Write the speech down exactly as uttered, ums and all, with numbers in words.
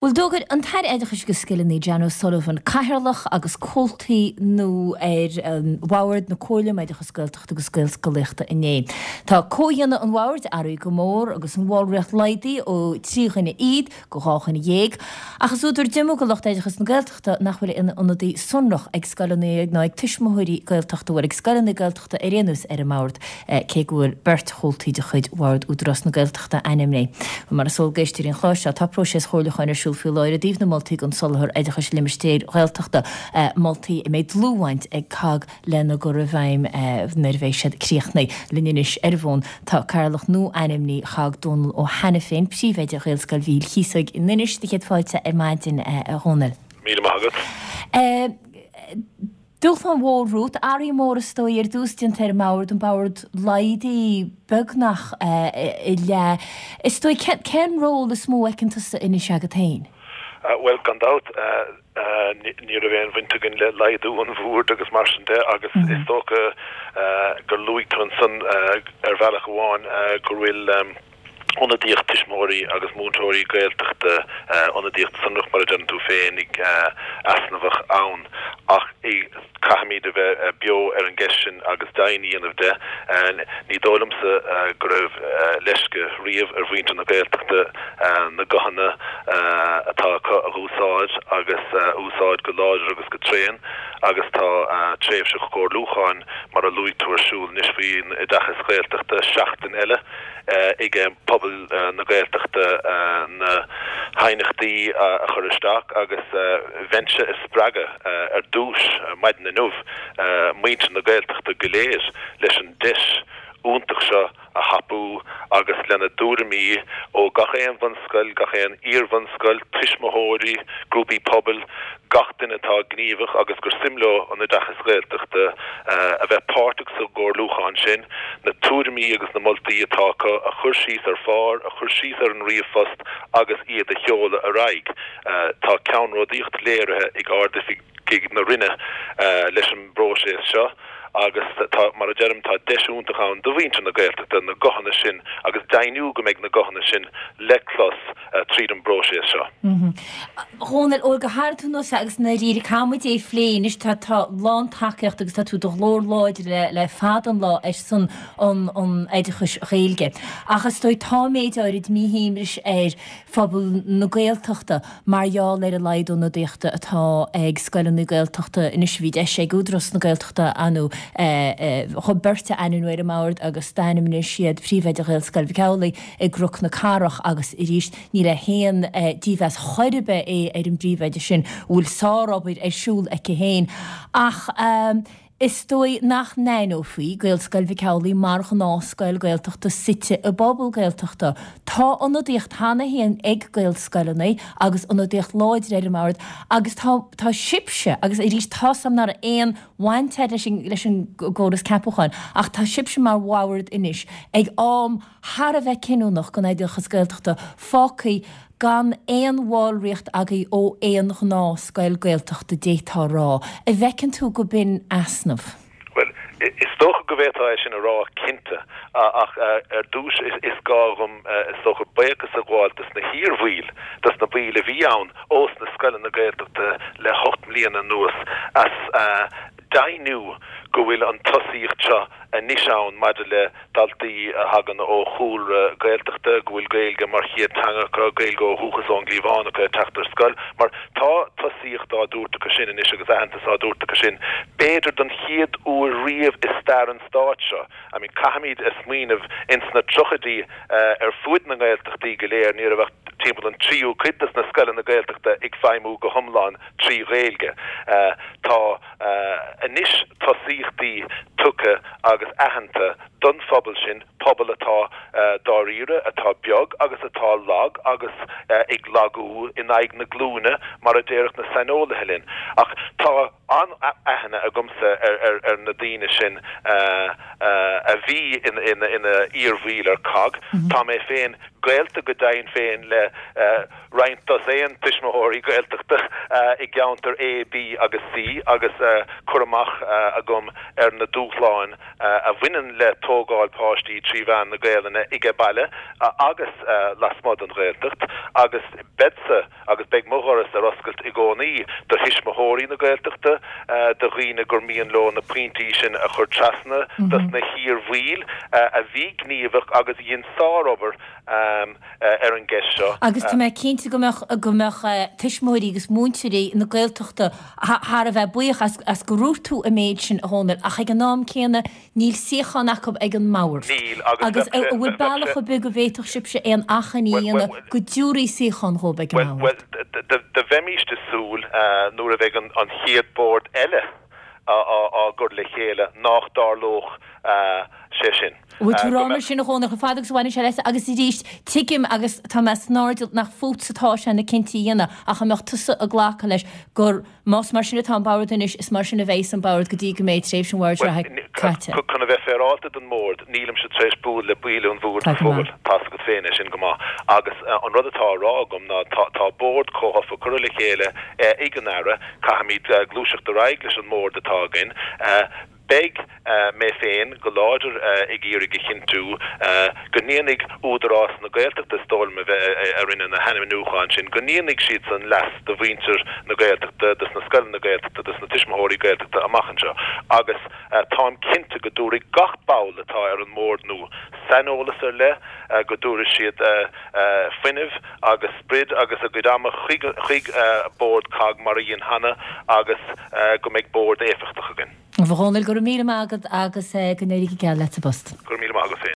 Bhuel, d'fhógair an tAire Oideachais agus Scileanna Jan O'Sullivan cathaoirleach agus comhaltaí nua ar Bhord na Comhairle um Oideachas Gaeltachta agus Gaelscolaíochta inné. Tá comhdhéanamh an bhoird athraithe go mór agus an bhallraíocht laghdaithe ó trí dhuine fhichead go dhá dhuine dhéag, ach is údar díomá do lucht oideachas na Gaeltachta nach bhfuil aon ionadaí sonrach ag scoileanna ná ag tuismitheoirí Gaeltachta, bhuel ag scoileanna Gaeltachta ar aon nós ar an mbord, cé go bhfuil beirt chomhaltaí de chuid Bhord Údarás na Gaeltachta ainmnithe. Mar is eol d'éisteoirí an chláir seo, tá próiseas comhairliúcháin ar siúl faoi láthair i dtaobh na moltaí don soláthar oideachais i limistéir Ghaeltachta, moltaí a mbeidh dlúthbhaint ag COGG lena gcur i bhfeidhm nuair a bheidh siad críochnaithe. Linn anois ar an bhfón tá Cathaoirleach nua-ainmnithe COGG, Dónal Ó hAiniféin, Príomhoide Ghaelscoil Mhichíl Chíosóig in Inis. Do chéad fáilte ar maidin, a Dhónaill. Míle maith agat. Dúshlán mhór romhat, athruithe móra is dóigh ar dtús déanta ar an mbord, an bord laghdaithe beagnach i leath. Is dóigh, cén ról is mó a fheiceann tusa anois agat féin? Bhuel, gan dabht, ní raibh aon bhaint againn le laghdú an bhoird agus mar sin de agus is dócha gur luaigh tú ansan ar bhealach amháin go bhfuil ionadaíocht tuismitheoirí agus múinteoirí Gaeltachta, ionadaíocht sonrach mar a deireann tú féinig, easnamhach ann. Ach caithfimid a bheith beo ar an gceist sin agus deimhin a dhéanamh de. Ní dóigh liomsa go raibh leisce riamh ar mhuintir na Gaeltachta na guthanna atá acu a úsáid agus a úsáid go láidir agus go tréan agus tá tréimhse chomhairliúcháin mar a luaigh tú ar siúl anois faoin oideachas Gaeltachta seachtain eile ag pobal na Gaeltachta na haighneachtaí a chur isteach agus bheinnse ag spreagadh ar dtús maidin inniu muintir na Gaeltachta go léir leis an deis iontach seo a thapú agus lena dtuairimí ó gach aon bhunscoil, gach aon iar-bhunscoil, tuismitheoirí, grúpaí pobail, gach duine atá gníomhach agus gur suim leo an oideachas Gaeltachta a bheith páirteach sa gcomhairliúchán sin, na tuairimí agus na moltaí atá acu a chur síos ar phár, a chur síos ar an ríomhphost agus iad a sheoladh ar aghaidh. Tá ceannródaíocht léirithe ag Ardoifigigh na Roinne leis an bpróiseas seo agus tá, mar a deirim, tá deis iontach ann do mhuintir na Gaeltachta na guthanna sin agus deimhniú go mbeidh na guthanna sin le clos tríd an bpróiseas seo. Dhónaill, ó go háirithe tú anuas agus ndáiríre caithfimid é a phlé anois, tá tá lántacaíocht agus tá tú do ghlór láidir le le fada an lá ar son an an oideachais Ghaeilge. Ach is dóigh tá méid áirid míshuaimhnis ar phobal na Gaeltachta mar gheall ar an laghad ionadaíochta atá ag scoileanna Gaeltachta anois. Bhí deis ag Údarás na Gaeltachta anú chun beirt a ainmniú ar an mbord agus d'ainmnigh siad príomhoide Ghaelscoil Mhic Amhlaigh i gCnoc na Cathrach agus arís ní le haon dímheas chor ar bith é ar an bpríomhoide sin a bhfuil sárobair ar siúl aici féin ach is dóigh nach n-aithneofaí Gaelscoil Mhic Amhlaigh mar ghnáthscoil Gaeltachta suite i bpobal Gaeltachta. Tá ionadaíocht cheana féin ag Gaelscoileanna agus ionadaíocht láidir ar an mbord agus tá tá sibhse agus arís tá's a'm nach raibh aon bhaint agat leis an leis an gcóras ceapúcháin ach tá sibhse mar bhord anois ag am thar a bheith cinniúnach don oideachas Gaeltachta fágtha gan aon bhallraíocht agaibh ó aon ghnáthscoil Gaeltachta d'fhéadfá a rá. An bhfeiceann tú go b'in easnamh? Bhuel, is dócha go bhféadfá é sin a rá cinnte, ach ar dtús is gá dhom is dócha buíochas a ghabháil dos na hiar-bhaill, dos na baill a bhí ann ós na scoileanna Gaeltachta le hocht mbliana anuas as deimhniú go bhfuil an tosaíocht seo anois ann maidir le daltaí a thagann ó chúlra Gaeltachta, go bhfuil Gaeilge mar chéad teanga acu, Gaeilge ó dhúchas ón gcliabhán acu ag teacht ar scoil, mar tá tosaíocht á dtabhairt acu sin anois agus aitheantas á dtabhairt acu sin, b'fhéidir don chéad uair riamh i stair an stáit seo. I mean, caithfimid a smaoineamh, ins na tríochaidí ar fuaid na nGaeltachtaí go léir, ní raibh ach timpeall an tríú cuid des na scoileanna Gaeltachta ag feidhmiú go hiomlán trí Ghaeilge. Tá anois tosaíochtaí tugtha agus aitheanta don phobal sin, pobal atá dáiríre, atá beag agus atá lag agus ag lagú in aghaidh na glúine mar a déarfadh na saineolaithe linn. Ach tá an-aithne agamsa ar na daoine sin a bhí ina iarbhaill ar cogg. Tá mé féin gaolta go deimhin féin le roinnt dosaen tuismitheoirí Gaeltachta i gceantar A, B agus C agus cur amach agam ar na dúshláin a bhaineann le tógáil páistí trí mheán na Gaelainne age baile agus lasmuigh den Ghaeltacht agus beadsa agus beidh mo dhoras ar oscailt i gcónaí do thuismitheoirí na Gaeltachta, do dhaoine gur mian leo na pointí sin a chur trasna dos na hiarbhaill a bhí gníomhach agus a dhein sárobair ar an gceist seo. Agus tá mé cinnte go mbeadh go mbeadh tuismitheoirí agus múinteoirí na Gaeltachta thar a bheith buíoch as as go ndúirt tú an méid sin a Dhónaill ach ag an am céanna níl suíochán acu ag an mbord. Níl agus Agus bheadh an bhfuil bheadh bealach ar bith go bhféadfadh sibhse aon achainí a Bhuel dhéanamh bhuel go dtabharfaí suíochán dhóibh ag an Bhuel mbord? bhuel do bheimíst ag súil nuair a bheidh an an chéad bord eile á á gcur le chéile nach dtarlódh sé sin. Bhfuil tú Go rá mar mbeadh sin a Dhónaill chomh fada agus a bhaineann sé leis agus arís tuigim agus tá mé san airdeall nach fútsa atá sé na cinntí a dhéanamh ach an mbeadh tusa ag glacadh leis gur más mar sin atá an bord anois is mar sin a bheidh an bord go dtí go mbeidh tréimhse an bhoird Bhuel reatha caite. chun a bheith féaráilte don mbord nílimse tar éis bualadh le baill an bhoird Tá go go fóill maith. Tá's agat féin é sin go maith agus an rud atá á rá agam ná tá tá bord comhthofa curtha le chéile ag an Aire caithfimid gluaiseacht ar aghaidh leis an mbord atá againn. Beidh mé féin go láidir ag iarraidh a chinntiú go ndéanfaidh Údarás na Gaeltachta is dóigh liom a bheith a rinne na hainmniúcháin sin, go ndéanfaidh siadsan leas do mhuintir na Gaeltachta, dos na scoileanna Gaeltachta, dos na tuismitheoirí Gaeltachta amach anseo. Agus táim cinnte go dtabharfaidh gach ball atá ar an mbord nua saineolas ar leith, go dtabharfaidh siad fuinneamh agus sprid agus a gcuid ama chuig chuig bord cogg mar a dhein cheana agus go mbeidh bord éifeachtach againn. A Dhónaill go raibh míle maith agat agus go n-éirí go geal leat sa bpost. Go raibh míle maith agat féin.